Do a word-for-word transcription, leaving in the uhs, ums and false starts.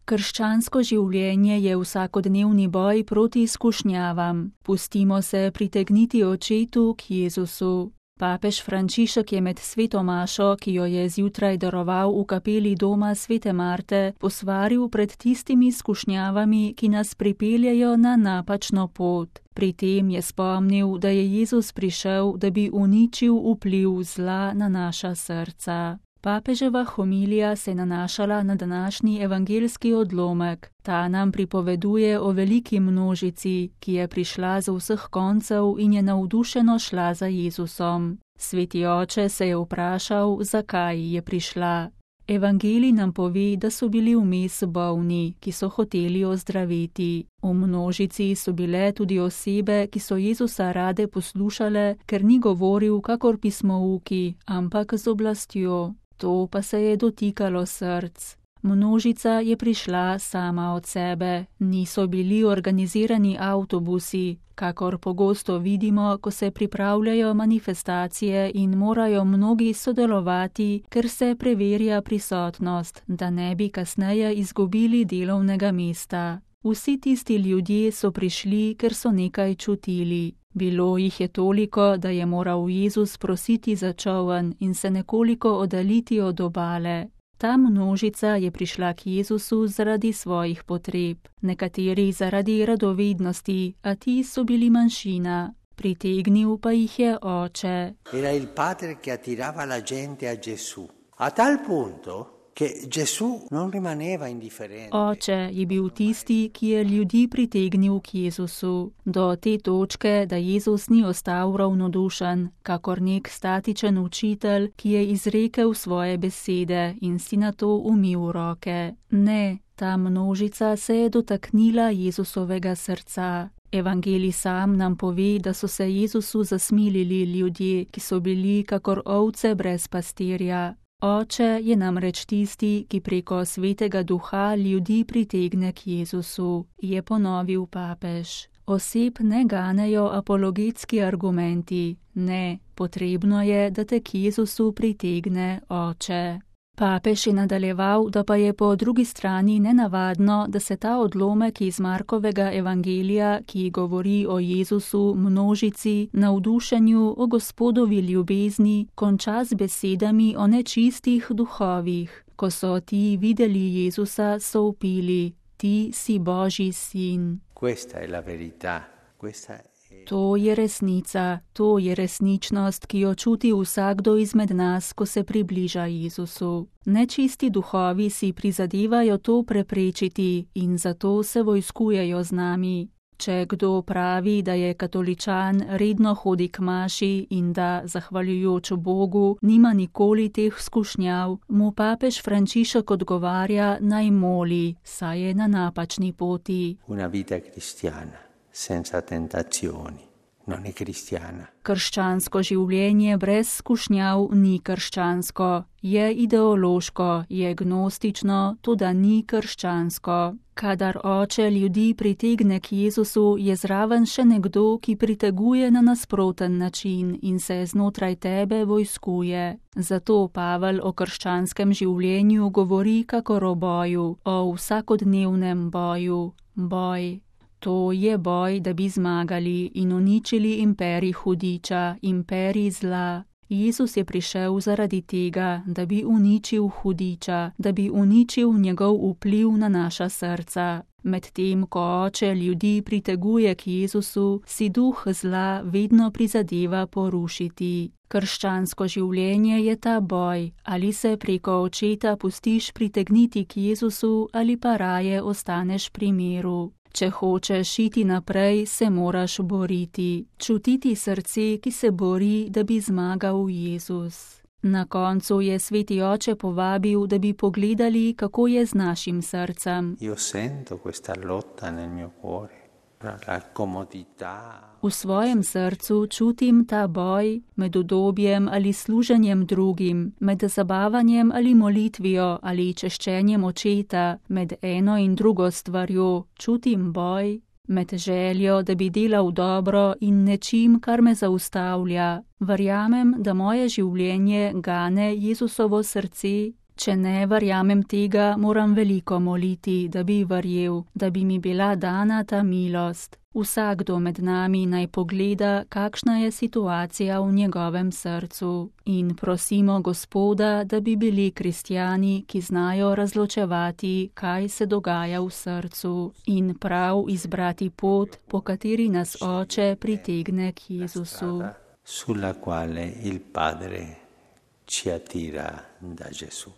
Krščansko življenje je vsakodnevni boj proti skušnjavam. Pustimo se pritegniti očetu k Jezusu. Papež Frančišek je med sveto mašo, ki jo je zjutraj daroval v kapeli doma svete Marte, posvaril pred tistimi skušnjavami, ki nas pripeljejo na napačno pot. Pri tem je spomnil, da je Jezus prišel, da bi uničil vpliv zla na naša srca. Papeževa homilija se je nanašala na današnji evangeljski odlomek. Ta nam pripoveduje o veliki množici, ki je prišla z vseh koncev in je navdušeno šla za Jezusom. Sveti oče se je vprašal, zakaj je prišla. Evangelij nam pove, da so bili vmes bolni, ki so hoteli ozdraviti. V množici so bile tudi osebe, ki so Jezusa rade poslušale, ker ni govoril kakor pismouki, ampak z oblastjo. To pa se je dotikalo src. Množica je prišla sama od sebe, niso bili organizirani avtobusi, kakor pogosto vidimo, ko se pripravljajo manifestacije in morajo mnogi sodelovati, ker se preverja prisotnost, da ne bi kasneje izgubili delovnega mesta. Vsi tisti ljudje so prišli, ker so nekaj čutili. Bilo jih je toliko, da je moral Jezus prositi za čoln in se nekoliko oddaljiti od obale. Ta množica je prišla k Jezusu zaradi svojih potreb, nekateri zaradi radovednosti, a ti so bili manjšina. Pritegnil pa jih je oče. Era il padre che attirava la gente a Gesù. A tal punto che Gesù non rimaneva indifferente. Oče je bil tisti, ki je ljudi pritegnil k Jezusu, do te točke, da Jezus ni ostal ravnodušen, kakor nek statičen učitelj, ki je izrekel svoje besede in si nato umil roke. Ne, ta množica se je dotaknila Jezusovega srca. Evangelij sam nam pove, da so se Jezusu zasmilili ljudje, ki so bili kakor ovce brez pastirja. Oče je namreč tisti, ki preko svetega duha ljudi pritegne k Jezusu, je ponovil papež. Oseb ne ganejo apologetski argumenti, ne, potrebno je, da te k Jezusu pritegne Oče. Papež je nadaljeval, da pa je po drugi strani nenavadno, da se ta odlomek iz Markovega evangelija, ki govori o Jezusu, množici, navdušenju, o Gospodovi ljubezni, konča z besedami o nečistih duhovih. Ko so ti videli Jezusa, so vpili: Ti si Božji sin. Questa è la verità, questa è... To je resnica, to je resničnost, ki jo čuti vsakdo izmed nas, ko se približa Jezusu. Nečisti duhovi si prizadevajo to preprečiti in zato se vojskujejo z nami. Če kdo pravi, da je katoličan, redno hodi k maši in da, zahvaljujoč Bogu, nima nikoli teh skušnjav, mu papež Frančišek odgovarja, naj moli, saj je na napačni poti. Una vita cristiana senza tentazioni non è cristiana. Krščansko življenje brez skušnjav ni krščansko, je ideološko, je gnostično, toda ni krščansko. Kadar Oče ljudi pritegne k Jezusu, je zraven še nekdo, ki priteguje na nasproten način in se znotraj tebe vojskuje. Zato Pavel o krščanskem življenju govori kakor o boju, o vsakodnevnem boju. Boj. To je boj, da bi zmagali in uničili imperij hudiča, imperij zla. Jezus je prišel zaradi tega, da bi uničil hudiča, da bi uničil njegov vpliv na naša srca. Medtem, ko Oče ljudi priteguje k Jezusu, si duh zla vedno prizadeva porušiti. Krščansko življenje je ta boj, ali se preko Očeta pustiš pritegniti k Jezusu ali pa raje ostaneš pri miru. Če hočeš iti naprej, se moraš boriti, čutiti srce, ki se bori, da bi zmagal Jezus. Na koncu je sveti Oče povabil, da bi pogledali, kako je z našim srcem. Io sento questa lotta nel mio cuore, la comodità. V svojem srcu čutim ta boj med udobjem ali služenjem drugim, med zabavanjem ali molitvijo ali češčenjem Očeta, med eno in drugo stvarjo, čutim boj, med željo, da bi delal dobro in nečim, kar me zaustavlja. Verjamem, da moje življenje gane Jezusovo srce, Če ne verjamem tega, moram veliko moliti, da bi verjel, da bi mi bila dana ta milost. Vsakdo med nami naj pogleda, kakšna je situacija v njegovem srcu, in prosimo Gospoda, da bi bili kristjani, ki znajo razločevati, kaj se dogaja v srcu, in prav izbrati pot, po kateri nas Oče pritegne k Jezusu. Sulla quale il Padre ci attira da Gesù.